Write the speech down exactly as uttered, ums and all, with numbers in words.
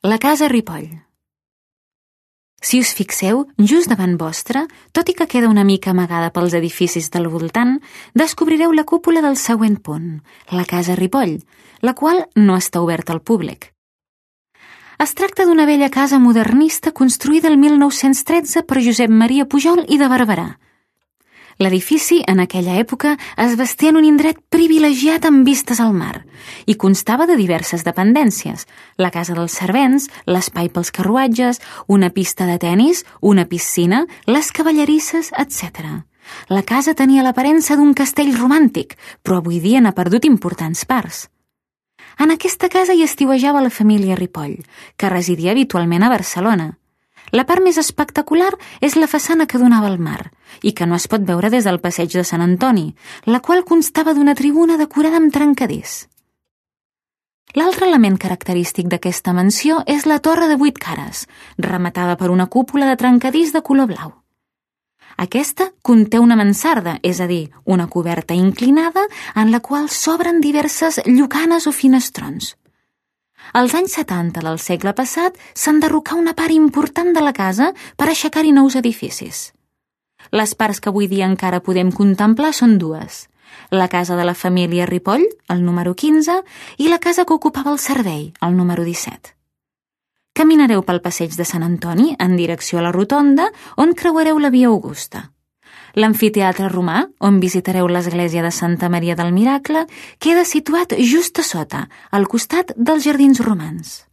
La casa Ripoll. Si us fixeu, just davant vostre, tot i que queda una mica amagada pels edificis del voltant, descobrireu la cúpula del següent punt, la casa Ripoll, la qual no està oberta al públic. Es tracta d'una vella casa modernista construïda el mil nou-cents tretze per Josep Maria Pujol i de Barberà. L'edifici, en aquella època, es vestia en un indret privilegiat amb vistes al mar i constava de diverses dependències, la casa dels servents, l'espai pels carruatges, una pista de tenis, una piscina, les cavallerisses, etcètera. La casa tenia l'aparença d'un castell romàntic, però avui dia n'ha perdut importants parts. En aquesta casa hi estiuejava la família Ripoll, que residia habitualment a Barcelona. La part més espectacular és la façana que donava al mar i que no es pot veure des del passeig de Sant Antoni, la qual constava d'una tribuna decorada amb trencadís. L'altre element característic d'aquesta mansió és la torre de vuit cares, rematada per una cúpula de trencadís de color blau. Aquesta conté una mansarda, és a dir, una coberta inclinada en la qual s'obren diverses llucanes o finestrons. Als anys setanta del segle passat s'enderrocà una part important de la casa per aixecar-hi nous edificis. Les parts que avui dia encara podem contemplar són dues: la casa de la família Ripoll, el número quinze, i la casa que ocupava el servei, el número disset. Caminareu pel passeig de Sant Antoni en direcció a la rotonda, on creuareu la via Augusta. L'amfiteatre romà, on visitareu l'església de Santa Maria del Miracle, queda situat just a sota, al costat dels Jardins Romans.